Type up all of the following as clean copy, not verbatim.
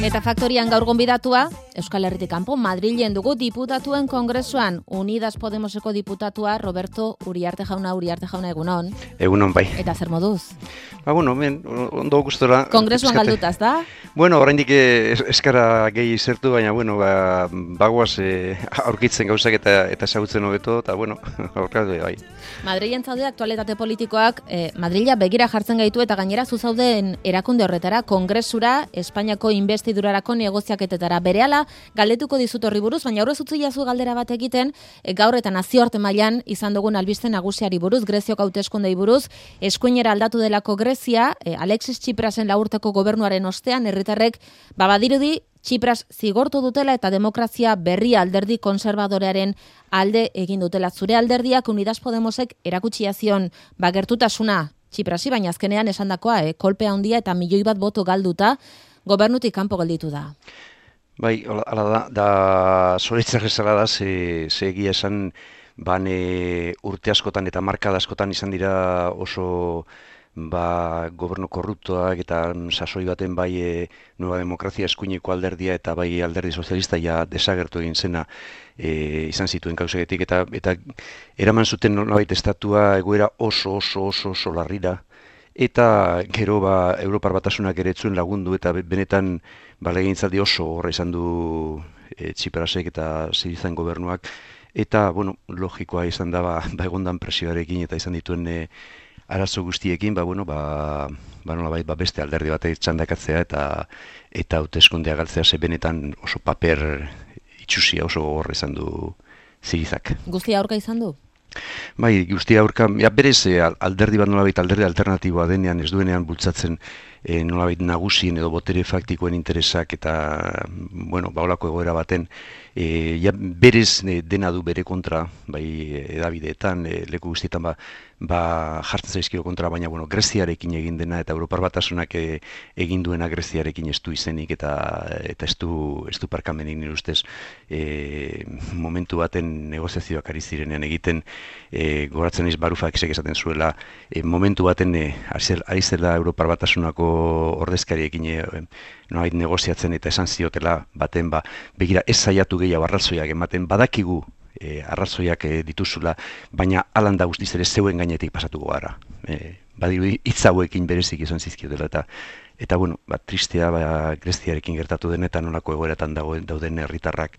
Eta faktorian gaur gonbidatua, Euskal Herritik kanpo Madrilen dugu diputatuen kongresuan, Unidas Podemoseko diputatua Roberto Uriarte jauna egunon. Egunon bai. Eta zer moduz? Ondo gustora. Kongresuan galdutaz, da? Bueno, oraindik eskara gehi zertu, baina bagoaz aurkitzen gauzak eta ezagutzen hobeto, eta aurkatu bai. Madrilen zaude aktualitate politikoak, Madrila begira jartzen gaitu eta gainera zuzauden erakunde horretara, kongresura, Espainiako investidurarako negoziaketetara. Berehala, galdetuko dizut horri buruz, baina aurrez utzi jazu galdera bat egiten, gaur eta nazioarte mailan izan dugun albiste nagusiari buruz, Greziok hauteskundei buruz, eskuinera aldatu delako Grezia, Alexis Tsiprasen laurteko gobernuaren ostean, herritarrek badirudi Tsipras zigortu dutela eta demokrazia berria alderdi konservadorearen alde egin dutela. Zure alderdiak Unidas Podemosek erakutsia zion gertutasuna Tsiprasi, baina azkenean esandakoa, kolpe handia eta 1 milioi bat boto galduta, gobernutik kanpo gelditu da. Bai, hala da zoritzak ezala da, ze egia esan urte askotan eta markada askotan izan dira oso gobernu korruptoak eta sasoi baten bai Nueva Demokrazia eskuineko alderdia eta bai alderdi sozialista ja desagertu egin zena izan zituen kausegetik eta eraman zuten nolabait estatua egoera oso larrira. Eta gero Europar Batasunak ere etzuen lagundu eta benetan legegintzaldi oso horra izan du Tsiprasek eta Sirizan gobernuak. Eta, logikoa izan da egondan presioarekin eta izan dituen arazo guztiekin, nolabait beste alderdi batek txandakatzea eta hauteskundea galtzea ze benetan oso paper itxusia oso horra izan du Sirizak. Guztia aurka izan du? Bai, guztia aurka, berez alderdi bat nolabait alderdi alternatiboa denean ez duenean bultzatzen nolabait nagusien edo botere faktikoen interesak eta, holako egoera baten, berez dena du bere kontra, bai edabideetan, leku guztietan jartzen zaizkio kontra, baina, Greziarekin egin dena eta Europar Batasunak egin duena Greziarekin ez du izenik eta ez du parkamenik nire ustez momentu baten negoziazioak ari zirenean egiten, goratzen naiz Barufak esaten zuela, momentu baten ari zela Europar Batasunako ordezkariekin nolabait negoziatzen eta esan ziotela baten begira ez saiatu gehiago arrazoiak ematen, badakigu arrazoiak dituzula, baina alan da guztiz ere zeuen gainetik pasatuko gara. Badirudi hitz hauekin berezik izan zizkiotela eta tristea Greziarekin gertatu den eta nolako egoeratan dauden herritarrak,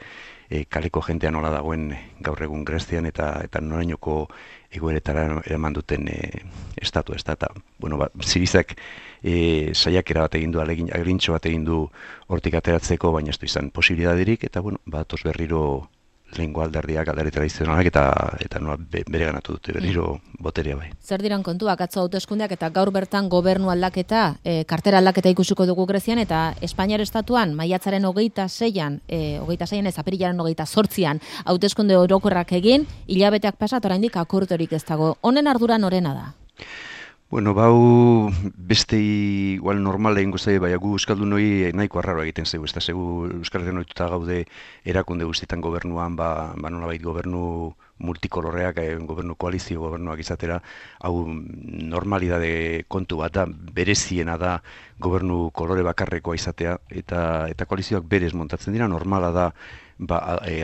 kaleko jentea nola dagoen gaur egun Grezian eta norainoko egoeretara eraman duten estatu ez da. Eta, Sirizak saiakera bat egin du, agrintxo bat egin du hortik ateratzeko, baina ez du izan posibilitaterik eta tos berriro lehengo alderdiak, alderdi tradizionalak eta nola bere ganatu dute berriro boterea bai. Zer diran kontuak atzo hauteskundeak eta gaur bertan gobernu aldaketa, kartera aldaketa ikusiko dugu Grezian eta Espainiar estatuan maiatzaren 26an, apirilaren 28an hauteskunde orokorrak egin, hilabeteak pasat oraindik akordiorik ez dago. Honen ardura norena da? Bau beste igual normal egingo zaie, baina gu euskaldunoi nahiko arraro egiten zaigu, ez da zegu Euskal Herrian ohituta gaude erakunde guztietan gobernuan, nolabait gobernu multikolorreak, gobernu koalizio gobernuak izatera, hau normalidade kontu bat da, bereziena da gobernu kolore bakarrekoa izatea, eta koalizioak berez montatzen dira, normala da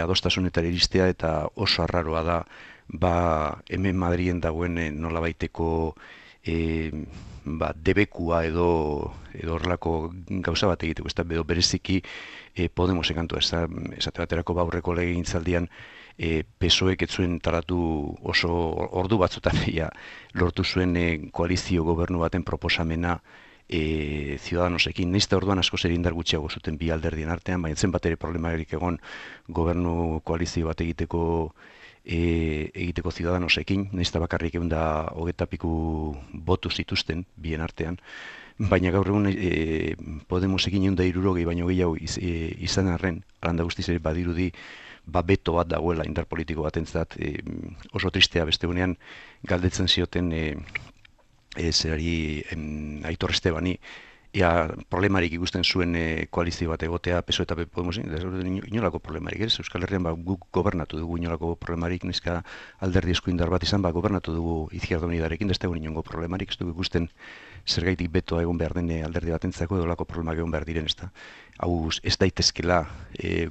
adostasunetara iristea eta oso arraroa da hemen Madrilen dagoen nolabaiteko debekua edo horrelako gauza bat egiteko, ez da bereziki Podemosen kantua, esate baterako aurreko legegintzaldian PSOEk ez zuen taratu oso ordu batzutan lortu zuen koalizio gobernu baten proposamena Ciudadanosekin, nahiz eta orduan asko zer indar gutxiago zuten bi alderdien artean, baina zen bat ere problemarik egon gobernu koalizio bat egiteko Ciudadanosekin, nahiz eta bakarrik 120 piku botu zituzten bien artean, baina gaur egun Podemosekin 160 baino gehiago izan arren, alanda guztiz ere badirudi beto bat dagoela indar politiko batentzat, oso tristea beste gunean galdetzen zioten zerari Aitor Estebani problemarik ikusten zuen koalizio bat egotea PSOE eta Podemosin, inolako problemarik, ez? Euskal Herrian guk gobernatu dugu inolako problemarik, neska alderdi eskuindar bat izan, gobernatu dugu Izquierda Unidarekin, da ez dago inongo problemarik, ez dugu ikusten zergaitik betoa egon behar den alderdi batentzako edo lako problemak egon behar diren, ez da. Hau ez daitezkela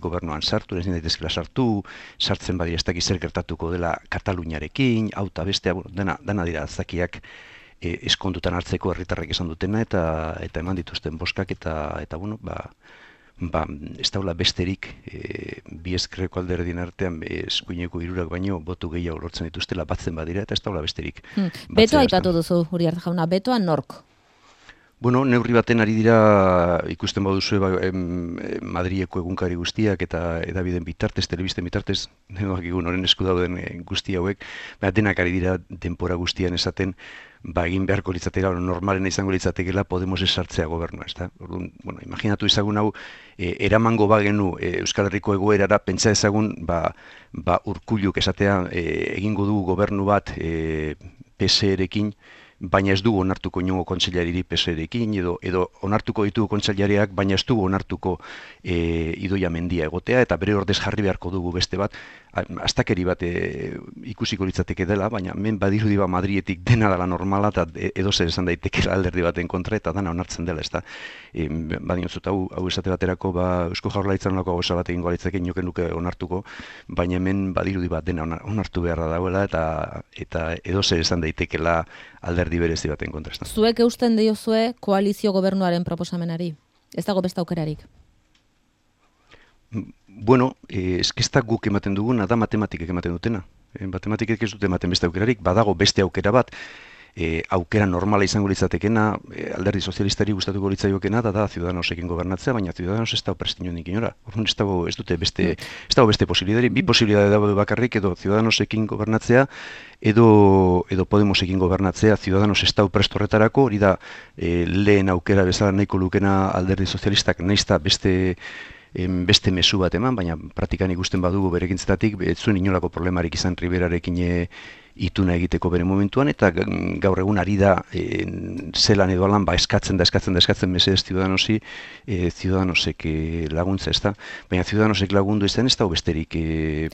gobernuan sartu, ez daitezkela sartzen badira ez dakiz zer gertatuko dela Kataluniarekin, hau eta bestea, dena dira zakiak eskondutan hartzeko herritarrek esan dutena eta eman dituzten boskak eta bueno, ez daula besterik bi ezkerreko alderdien artean eskuineko hirurak baino botu gehiago lortzen dituztela batzen badira eta ez daula besterik. Betoa aipatu duzu, Uriarte jauna, betoa nork? Bueno, neurri baten ari dira ikusten baduzue Madrileko egunkari guztiak eta edabideen bitartez, telebisten bitartez, noren esku dauden guzti hauek, denak ari dira denpora guztian esaten, egin beharko litzatela, normalena izango litzatekela Podemos sartzea gobernua, ezta? Orduan, bueno, imaginatu ezagun hau, eramango bagenu Euskal Herriko egoerara, pentsa ezagun, Urkulluk esatea egingo du gobernu bat PSE-rekin, baina ez dugu onartuko inongo kontseilaririk PSE-rekin, edo onartuko ditugu kontseilariak, baina ez dugu onartuko Idoia Mendia egotea, eta bere ordez jarri beharko dugu beste bat, astakeri bat ikusiko litzateke dela, baina men badirudi Madrietik dena dela normala, eta edo zer esan daitekela alderdi baten kontra, eta dana onartzen dela, ez da. Badinozut, hau esate baterako, Eusko Jaurlaritzan lako gauza bat egingo litzake inoken nuke onartuko, baina hemen badirudi bat dena onartu beharra dagoela, eta edo zer esan daitekela alderdi berezi baten kontra. Zuek eusten diozue koalizio gobernuaren proposamenari? Ez dago beste aukerarik? Bueno, ez guk ematen duguna da matematikek ematen dutena. Matematikek ez dute ematen beste aukerarik, badago beste aukera bat, aukera normala izango litzatekena, alderdi sozialistari gustatuko litzaiokeena, da Ciudadanosekin gobernatzea, baina Ciudadanos ez dago prestiñonik inora. Orduan ez dago beste posibilidari, bi posibilidade dago bakarrik, edo Ciudadanosekin gobernatzea, edo Podemosekin gobernatzea. Ciudadanos ez dago prest horretarako, hori da lehen aukera bezala nahiko lukena alderdi sozialistak, naizta beste mezu bat eman, baina praktikan ikusten badugu berekintzetatik, ez zuen inolako problemarik izan Riberarekin ituna egiteko bere momentuan, eta gaur egun ari da zelan edo alan eskatzen mesedez Ciudadanosek laguntza, ez da. Baina Ciudadanosek lagundu ez da besterik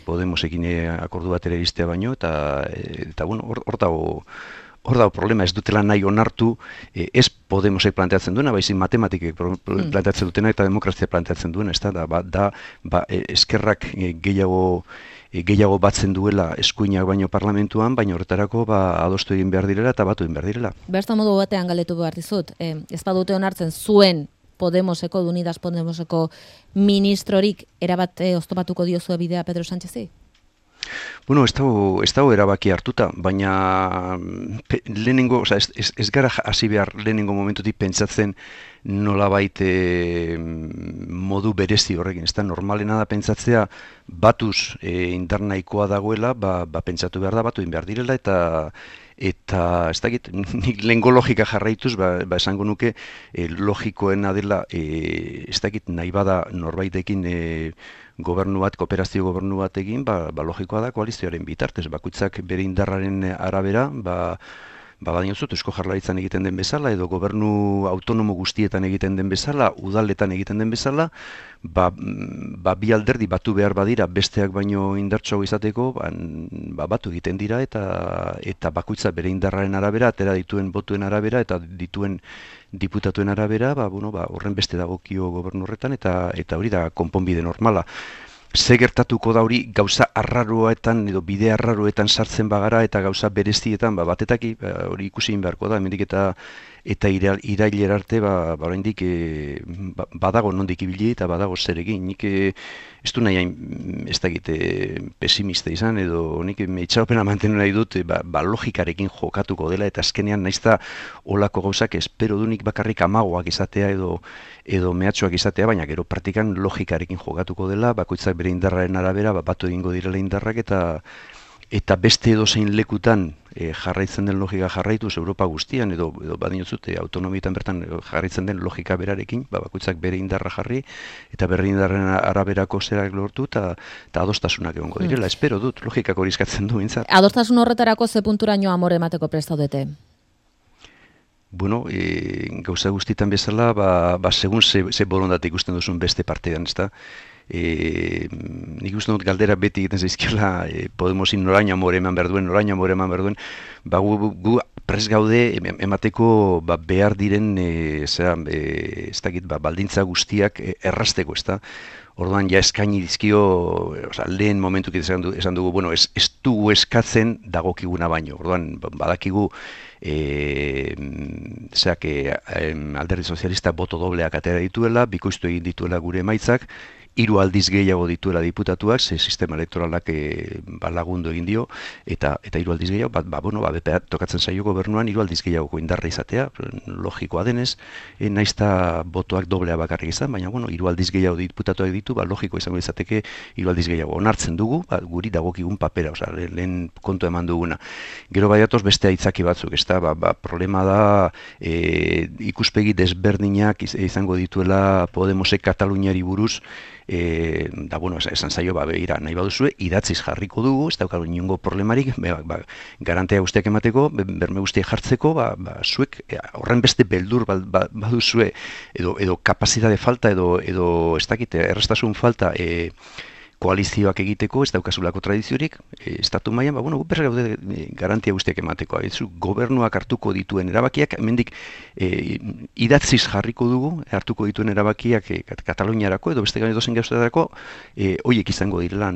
Podemosekin akordu batera iristea baino, eta bueno, hor dago problema, ez dutela nahi onartu, ez Podemosek planteatzen duena, baizik matematikek planteatzen dutena eta demokrazia planteatzen duena, ez da, eskerrak gehiago batzen duela eskuinak baino parlamentuan, baina horretarako adostu egin behar direla eta batu egin behar direla. Berta modu batean galdetu behar dizut, ez badute onartzen zuen Podemoseko, Unidas Podemoseko ministrorik erabat oztopatuko diozue bidea Pedro Sánchezi? Bueno, ez dago erabaki hartuta, baina lehenengo, ez gara hasi behar lehenengo momentutik pentsatzen nolabait modu berezi horrekin, ez da, normalena da pentsatzea batuz indar nahikoa dagoela, pentsatu behar da, batu egin behar direla, eta ez dakit, nik lehengo logika jarraituz, esango nuke logikoena dela, ez dakit nahi bada norbaitekin gobernu bat, kooperazio gobernu bat egin, logikoa da koalizioaren bitartez, bakoitzak bere indarraren arabera, badinozut, Eusko Jaurlaritzan egiten den bezala, edo gobernu autonomo guztietan egiten den bezala, udaletan egiten den bezala, bi alderdi batu behar badira besteak baino indartsuago izateko, batu egiten dira, eta bakoitza bere indarraren arabera, atera dituen botuen arabera, eta dituen diputatuen arabera, horren beste dagokio gobernu horretan, eta hori da konponbide normala. Ze gertatuko da hori gauza arraroetan edo bide arraroetan sartzen bagara eta gauza berezietan batetaki hori ikusi egin beharko da, hemendik eta irailera arte oraindik badago nondik ibili eta badago zer egin. Nik ez du nahi ez dakit pesimista izan edo nik itxaropena mantenu nahi dut logikarekin jokatuko dela eta azkenean naizta olako gauzak espero dunik bakarrik amagoak izatea edo mehatxoak izatea, baina gero praktikan logikarekin jokatuko dela, bakoitzak bere indarraren arabera batu egingo direla indarrak eta beste edozein lekutan jarraitzen den logika jarraituz Europa guztian edo badinozute autonomietan bertan jarraitzen den logika berarekin, bakoitzak bere indarra jarri eta bere indarren araberako zerak lortu eta adostasunak egongo direla. Espero dut, logikak hori eskatzen du bintzat. Adostasun horretarako ze punturaino amore emateko prestaudete? bueno, gauza guztietan bezala, segun ze borondate ikusten duzun beste partean, ezta? Nik uste dut galdera beti egiten zaizkiola Podemosin noraino amore eman behar duen, gu prest gaude emateko behar diren ez dakit, baldintza guztiak errazteko, ezta? Orduan ja eskaini dizkio, lehen momentuk esan dugu, bueno, ez dugu eskatzen dagokiguna baino. Orduan badakigu Alderdi Sozialista boto dobleak atera dituela, bikoiztu egin dituela gure emaitzak, 3 aldiz gehiago dituela diputatuak, ze sistema elektoralak lagundu egin dio, eta 3 aldiz gehiago, BPA tokatzen zaio gobernuan 3 aldiz gehiagoko indarra izatea, logikoa denez, naizta botoak doblea bakarrik izan, baina 3 aldiz gehiago diputatuak ditu, logiko izango izateke 3 aldiz gehiago. Onartzen dugu, guri dagokigun papera, lehen kontu eman duguna. Gero baiatoz beste aitzaki batzuk, problema da ikuspegi desberdinak izango dituela Podemosek Kataluniari buruz, esan zaio, begira, nahi baduzue, idatziz jarriko dugu, ez daukagu inongo problemarik, garantea guztiak emateko, berme guztiak jartzeko, zuek horren beste beldur baduzue, edo kapazitate falta, edo ez dakite, errestasun falta, koalizioak egiteko, ez daukazulako tradiziorik, estatu mailan, gu berra gaude garantia guztiak emateko. Gobernuak hartuko dituen erabakiak, hemendik idatziz jarriko dugu, hartuko dituen erabakiak Kataluniarako, edo beste edozen gauzetarako, horiek izango direla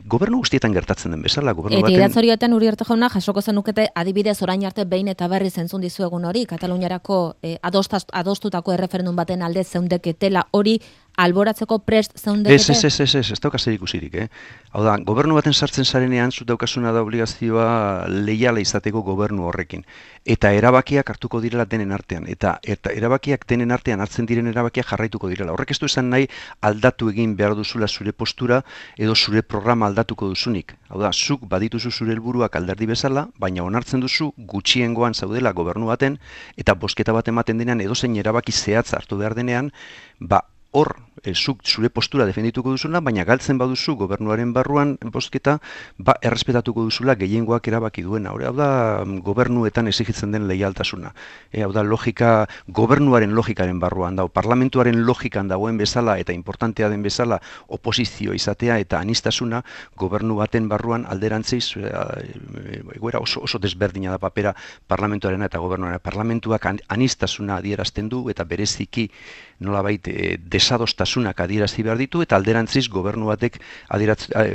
gobernu guztietan gertatzen den bezala. Eta idatzorioetan Uriarte jauna jasoko zenukete adibidez orain arte behin eta berriz entzun dizuegun hori, Kataluniarako adostutako erreferendum baten alde zeundeketela hori alboratzeko prest zeundekete? Ez dauka zer ikusirik, Hau da, gobernu baten sartzen zarenean, zut daukasuna da obligazioa leiala izateko gobernu horrekin. Eta erabakiak hartuko direla denen artean. Eta erabakiak denen artean hartzen diren erabakiak jarraituko direla. Horrek ez du esan nahi aldatu egin behar duzula zure postura edo zure programa aldatuko duzunik. Hau da, zuk badituzu zure helburuak alderdi bezala, baina onartzen duzu gutxiengoan zaudela gobernu baten, eta bozketa bat ematen denean edozein erabaki zehatz hartu behar denean, hor, zuk zure postura defendituko duzula, baina galtzen baduzu gobernuaren barruan bozketa, errespetatuko duzula gehiengoak erabaki duena. Hau da, gobernuetan exigitzen den leialtasuna. Hau da, gobernuaren logikaren barruan dago, parlamentuaren logikan dagoen bezala eta importantea den bezala oposizio izatea eta anistasuna gobernu baten barruan alderantziz, oso desberdina da papera parlamentuarena eta gobernuarena. Parlamentuak anistasuna adierazten du eta bereziki nolabait desadostasunak adierazi behar ditu, eta alderantziz gobernu batek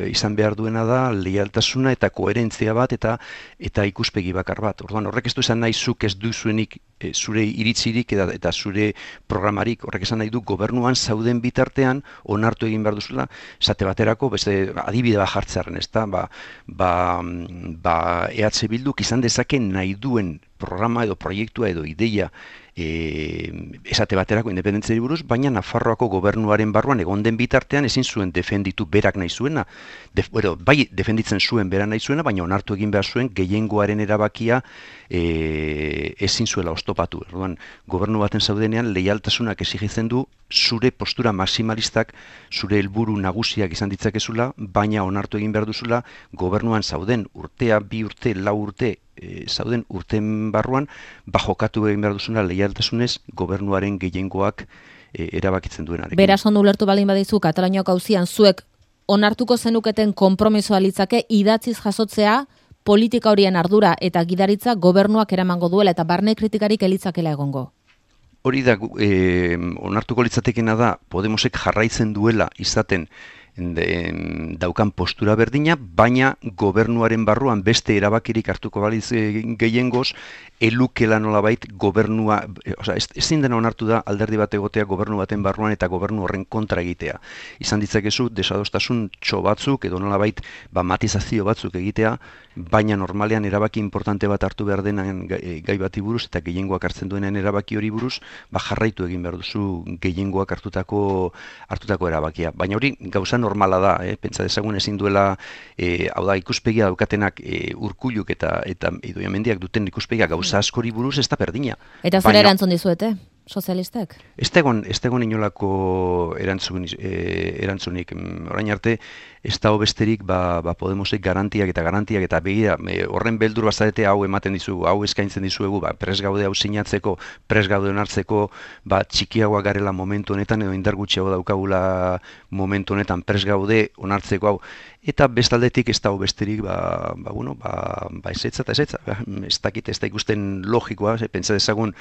izan behar duena da leialtasuna eta koherentzia bat eta ikuspegi bakar bat. Orduan, horrek ez du esan nahi zuk ez duzuenik zure iritzirik eta zure programarik, horrek esan nahi du gobernuan zauden bitartean onartu egin behar duzula, esate baterako, beste adibide bat jartzearen, ez da, EH Bilduk izan dezake nahi duen programa edo proiektua edo ideia esate baterako independentziari buruz, baina Nafarroako gobernuaren barruan egon den bitartean ezin zuen defenditu berak nahi zuena. Bai defenditzen zuen berak nahi zuena, baina onartu egin behar zuen gehiengoaren erabakia ezin zuela oztopatu. Orduan, gobernu baten zaudenean leialtasunak exigitzen du zure postura maximalistak, zure helburu nagusiak izan ditzakezula, baina onartu egin behar duzula gobernuan zauden urtea, 2 urte, 4 urte zauden urten barruan, jokatu egin behar duzuna leialtasunez gobernuaren gehiengoak erabakitzen duenarekin. Beraz ondo ulertu baldin badizu Kataluniako auzian zuek onartuko zenuketen konpromisoa litzake idatziz jasotzea politika horien ardura eta gidaritza gobernuak eramango duela eta barne kritikarik elitzakela egongo. Hori da, onartuko litzatekena da Podemosek jarraitzen duela izaten daukan postura berdina, baina gobernuaren barruan beste erabakirik hartuko baliz gehiengoz, elukela nolabait gobernua, ezin dena onartu da alderdi bat egotea gobernu baten barruan eta gobernu horren kontra egitea. Izan ditzakezu desadostasun batzuk edo nolabait matizazio batzuk egitea, baina normalean erabaki importante bat hartu behar denan gai bati buruz eta gehiengoak hartzen duenean erabaki hori buruz, jarraitu egin behar duzu gehiengoak hartutako erabakia. Baina hori gauza normala da, pentsa dezagun ezin duela, hau da, ikuspegia daukatenak Urkulluk eta Idoia Mendiak duten ikuspegia gauza askori buruz ez da berdina. Eta zer erantzun dizuete, sozialistek? Ez egon inolako erantzunik. Orain arte, ez dago besterik Podemosek garantiak eta begira, horren beldur bazarete hau ematen dizugu, hau eskaintzen dizuegu, pres gaude hau sinatzeko, pres gaude onartzeko, txikiagoa garela momentu honetan edo indar gutxiago daukagula momentu honetan pres gaude onartzeko hau. Eta bestaldetik ez dago besterik, ezetza, ez dakit, ez da ikusten logikoa, pentsa dezagun,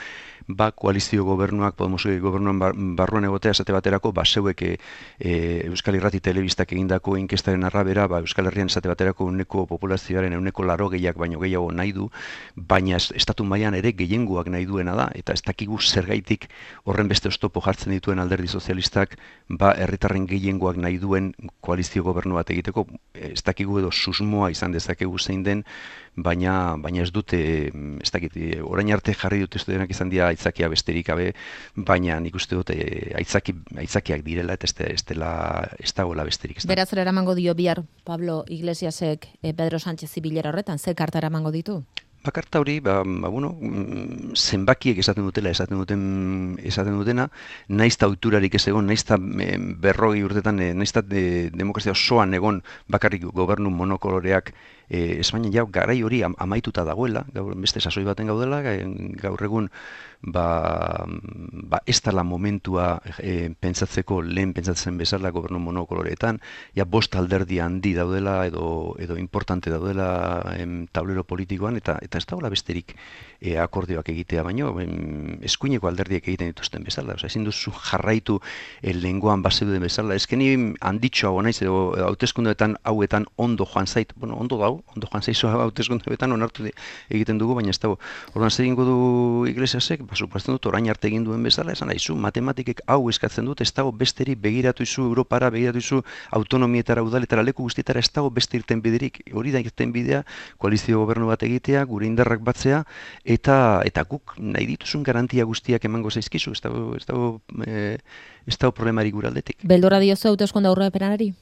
koalizio gobernuak, Podemosek gobernuan barruan egotea, esate baterako, zeuek Euskal Irrati Telebistak egindako inkestaren arabera, Euskal Herrian esate baterako uneko populazioaren uneko 80 baino gehiago nahi du, baina estatu mailan ere gehiengoak nahi duena da, eta ez dakigu zergaitik horren beste oztopo jartzen dituen Alderdi Sozialistak, herritarren gehiengoak nahi duen koalizio gobernu bat egiteko, ez dakigu edo susmoa izan dezakegu zein den, baina ez dute, ez dakit, orain arte jarri dut ez denak izan dira aitzakia besterik gabe, baina nik uste dut aitzakiak direla eta ez dagoela besterik. Beraz, eramango dio bihar Pablo Iglesiasek Pedro Sánchez bilera horretan, ze karta eramango ditu? Karta hori, zenbakiek esaten dutena, naizta ohiturarik ez egon, naizta 40 urtetan, naizta demokrazia osoan egon bakarrik gobernu monokoloreak Espainian jau garai hori amaituta dagoela, beste sasoi baten gaudela, gaur egun ez dela momentua lehen pentsatzen bezala gobernu monokoloreetan, bost alderdi handi daudela edo importante daudela tablero politikoan, eta ez dagoela besterik akordioak egitea, baino eskuineko alderdiek egiten dituzten bezala, ezin duzu jarraitu lehengoan bazeuden bezala, ezkeni handitxoago naiz, edo hauteskundeetan hauetan ondo joan zait, ondo joan zaizu hauteskundeetan onartu egiten dugu, baina ez dago. Orduan zer egingo du Iglesiasek, suposatzen dut orain arte egin duen bezala, esan nahizu, matematikek hau eskatzen dut, ez dago besteri begiratu izu Europara, begiratu izu autonomietara, udaletara, leku guztietara, ez dago beste irten biderik, hori da irten bidea, koalizio gobernu bat egitea, gure indarrak batzea, eta guk nahi dituzun garantia guztiak emango zaizkizu, ez dago problemarik gure aldetik. Beldurra diozu hauteskunde aurrepenari?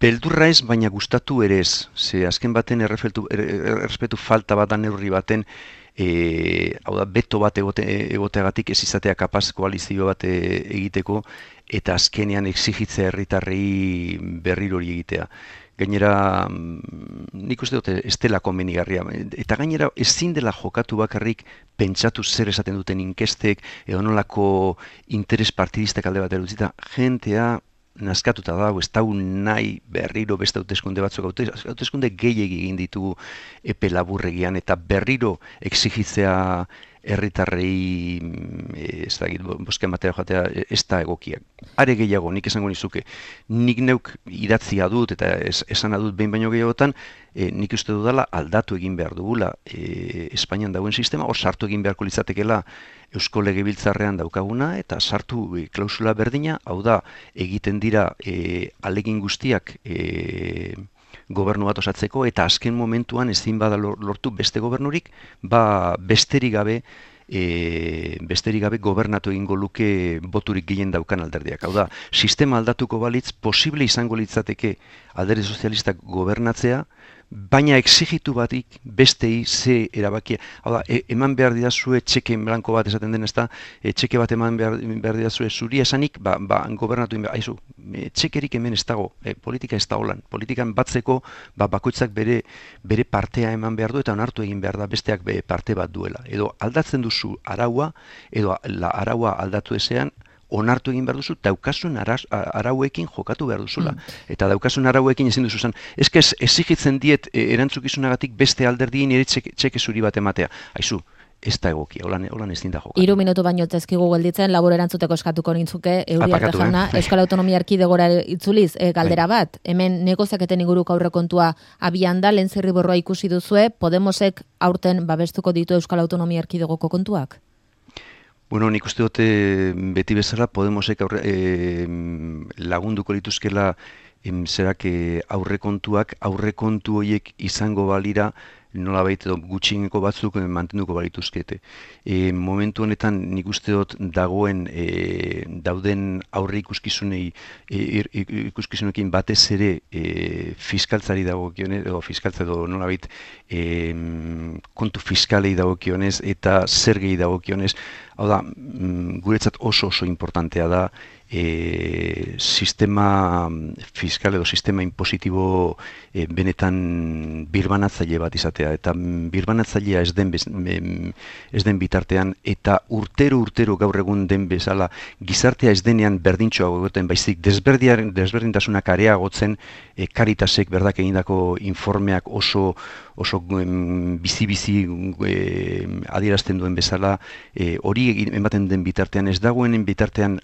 Beldurra ez, baina gustatu ere ez. Ze azken baten errespetu falta bat da neurri baten, hau da, beto bat egoteagatik ez izatea kapaz koalizio bat egiteko, eta azkenean exigitzea herritarrei berriro hori egitea. Gainera, nik uste dute ez dela komenigarria. Eta gainera, ezin dela jokatu bakarrik pentsatu zer esaten duten inkestek, edo nolako interes partidistak alde bat erutzita, jentea naskatuta dago, ez dago nahi berriro beste hauteskunde batzuk, hauteskunde gehiegi egin ditugu epe laburregian, eta berriro exigitzea herritarrei ez da, bozka ematea jatea ez da egokiak. Are gehiago, nik esango nizuke, nik neuk idatzia dut eta esana dut behin baino gehiagotan, nik uste dudala aldatu egin behar dugula Espainian dagoen sistema, hor sartu egin beharko litzatekela Eusko Legebiltzarrean daukaguna, eta sartu klausula berdina, hau da, egiten dira alegin guztiak gobernu bat osatzeko, eta azken momentuan ezin bada lortu beste gobernurik, besterik gabe gobernatu egingo luke boturik gehien daukan alderdiak. Hau da, sistema aldatuko balitz, posible izango litzateke Alderdi Sozialistak gobernatzea, baina exigitu batik bestei ze erabakia. Hau da, eman behar didazue txeke blanko bat esaten den, ez da, txeke bat eman behar didazue zuri esanik, gobernatu egin behar, aizu, txekerik hemen ez dago, politika ez da holan. Politikan batzeko, bakoitzak bere partea eman behar du, eta onartu egin behar da besteak parte bat duela. Edo aldatzen duzu araua, edo araua aldatu ezean, onartu egin behar duzu, daukasun arauekin jokatu behar duzula. Eta daukasun arauekin ezin duzu zen, exigitzen diet erantzukizunagatik beste alderdien ere txeke zuri bat ematea. Aizu, ez da egokia, holan ez dinda jokatu. 3 minutu baino tezkigu gelditzen, labor erantzuteko eskatuko nintzuke, Uriarte jauna, Euskal Autonomia Erkidegora itzuliz, galdera bat, hemen negoziaketen inguruko aurrekontua abian da, lehen zirriborroa ikusi duzue, Podemosek aurten babestuko ditu Euskal Autonomia Erkidegoko kontuak? Bueno, nik uste dute beti bezala Podemosek lagunduko lituzkela zerak aurrekontu horiek izango balira nolabait edo gutxieneko batzuk mantenduko balituzkete. Momentu honetan nik uste dut dagoen dauden aurre ikuskizunekin batez ere fiskaltzari dagokionez, edo fiskaltza edo nolabait kontu fiskalei dagokionez eta zergei dagokionez, hau da, guretzat oso importantea da sistema fiskal edo sistema impositibo benetan birbanatzaile bat izatea, eta birbanatzailea ez den bitartean, eta urtero gaur egun den bezala gizartea ez denean berdintxoago egoten, baizik desberdintasunak areagotzen, Caritasek berdak egindako informeak oso bizi adierazten duen bezala, hori ematen den bitartean, ez dagoenen bitartean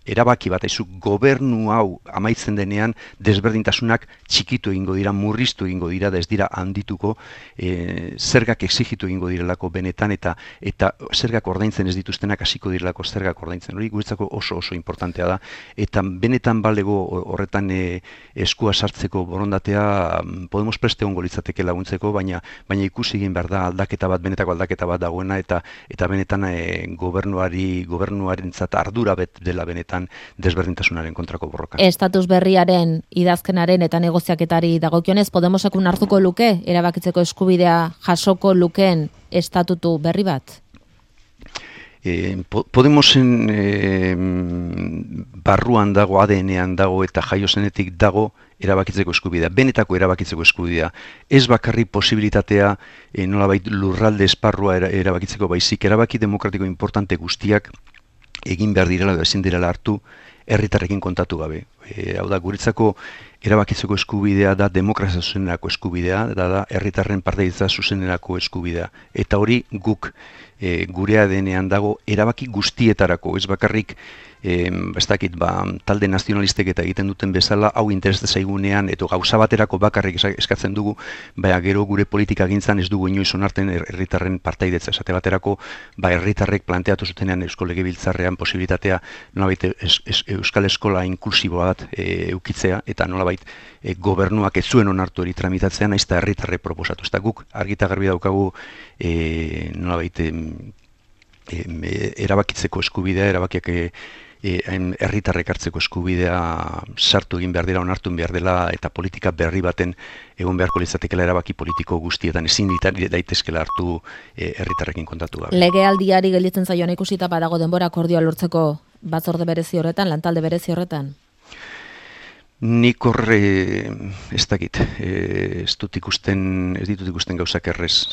erabaki bat, gobernu hau amaitzen denean desberdintasunak txikitu egingo dira, murriztu egingo dira, da ez dira handituko, zergak exigitu egingo direlako benetan, eta zergak ordaintzen ez dituztenak hasiko direlako zergak ordaintzen. Hori guretzako oso importantea da, eta benetan balego horretan eskua sartzeko borondatea Podemos preste ongo litzateke laguntzeko, baina ikusi egin behar da benetako aldaketa bat dagoena, eta benetan gobernuarentzat ardura dela benetan desberdintasunaren kontrako borroka. Estatus berriaren idazkenaren eta negoziaketari dagokionez, Podemosek hartuko luke erabakitzeko eskubidea jasoko lukeen estatutu berri bat? Podemosen barruan dago, ADN-ean dago eta jaiozenetik dago erabakitzeko eskubidea, benetako erabakitzeko eskubidea. Ez bakarri posibilitatea nolabait lurralde esparrua erabakitzeko, baizik erabaki demokratiko importante guztiak egin behar direla edo ezin direla hartu herritarrekin kontatu gabe. Hau da, guretzako erabakitzeko eskubidea da demokrazia zuzenerako eskubidea, da herritarren partaidetza zuzenerako eskubidea. Eta hori guk gure ADN-ean dago erabaki guztietarako, ez bakarrik ez dakit, talde nazionalistek eta egiten duten bezala, hau interesa zaigunean, edo gauza baterako bakarrik eskatzen dugu, baina gero gure politika gintzan ez dugu inoiz onartzen herritarren partaidetza. Esate baterako, herritarrek planteatu zutenean Eusko Legebiltzarrean posibilitatea nolabait Euskal Eskola inklusibo bat eukitzea, eta nolabait gobernuak ez zuen onartu hori tramitatzea, nahiz eta herritarrek proposatu. Ez da guk argita garbi daukagu nolabait erabakitzeko eskubidea, erabakiak herritarrek hartzeko eskubidea sartu egin behar dela, onartu behar dela, eta politika berri baten egon beharko litzatekela erabaki politiko guztietan ezin daitezkela hartu herritarrekin kontatu gabe. Legealdiari gelditzen zaioan ikusita badago denbora akordioa lortzeko batzorde berezi horretan, lantalde berezi horretan? Nik horre ez dakit, ez ditut ikusten gauzak errez,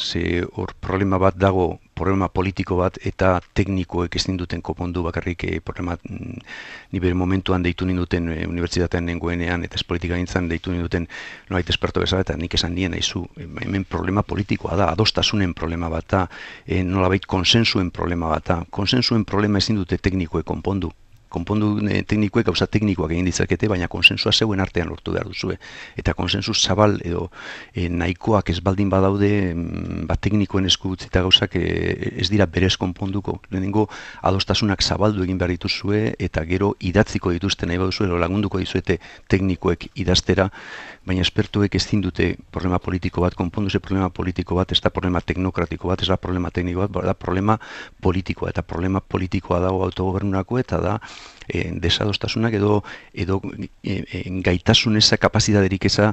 hor problema bat dago, problema politiko bat, eta teknikoek ez duten konpondu bakarrik problema, ni bere momentuan deitu ninduten unibertsitatean nengoenean, eta ez politika gintzan deitu ninduten nolait esperto bezala, eta nik esan nien aizu, hemen problema politikoa da, adostasunen problema bat da, nolabait konsensuen problema bat da, konsensuen problema ez dute teknikoek konpondu teknikoek gauza teknikoak egin ditzakete, baina konsensua zeuen artean lortu behar duzue. Eta konsensu zabal edo nahikoak ez baldin badaude, teknikoen esku utzita gauzak ez dira berez konponduko. Lehenengo adostasunak zabaldu egin behar dituzue, eta gero idatziko dituzte nahi baduzue, lagunduko dizuete teknikoek idaztera, baina espertuek ez dute problema politiko bat, konponduze problema politiko bat, ez da problema teknokratiko bat, ez da problema tekniko bat, da problema politikoa, eta problema politikoa dago autogobernurako, eta da desadostasunak edo gaitasun eza, kapazitaterik eza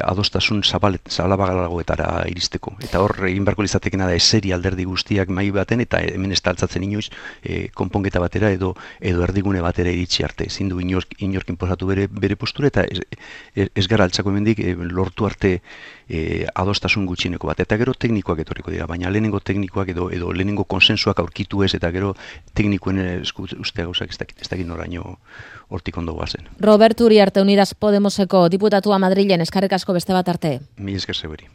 adostasun zabalagoetara iristeko. Eta hor egin beharko litzatekena da eseri alderdi guztiak mahai baten, eta hemen ez da altzatzen inoiz konponketa batera edo erdigune batera iritsi arte. Ezin du inork inposatu bere postura, eta ez gara altzako hemendik lortu arte adostasun gutxineko bat. Eta gero teknikoak etorriko dira, baina lehenengo teknikoak edo lehenengo konsensuak aurkitu ez, eta gero teknikoen ustea gauzak ez dakit noraino hortik ondo guazen. Robert Uriarte, Unidas Podemoseko diputatua Madrilen, eskerrik asko beste bat arte. Mila esker zeberi.